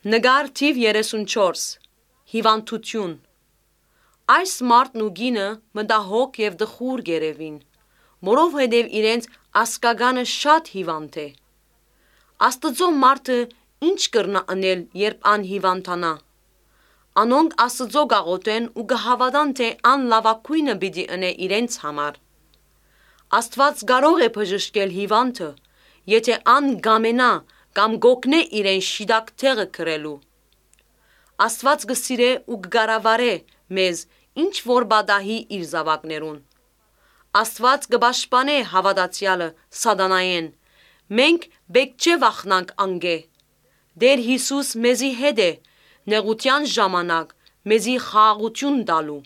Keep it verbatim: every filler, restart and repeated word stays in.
Նկար թիվ երեսունչորս։ Հիվանդութիւն։ Այս մարդն ու կինը մտահոգ եւ տխուր կ'երեւին, որովհետեւ իրենց ազգականը շատ հիվանդ է։ Աստուծոյ մարդը ի՞նչ կրնայ ընել, երբ ան հիվանդանայ։ Անոնք Աստուծոյ կ'աղօթեն ու կը հաւատան թէ ան լաւագոյնը պիտի ընէ իրենց համար։ Աստուած կարող է բժշկել հիվանդը, եթէ ան կ'ամենայ կամ կ'օգնէ իրեն շիտակ տեղը կրելու։ Աստուած կը սիրէ ու կը կառավարէ մեզ, ինչ որ պատահի իր զաւակներուն։ Աստուած կը պաշտպանէ հաւատացեալը սատանայէն։ Մենք պէտք չէ վախնանք անկէ։ Տէր Յիսուս մեզի հետ է, նեղութեան ժամանակ մեզի խաղաղութիւն տալու։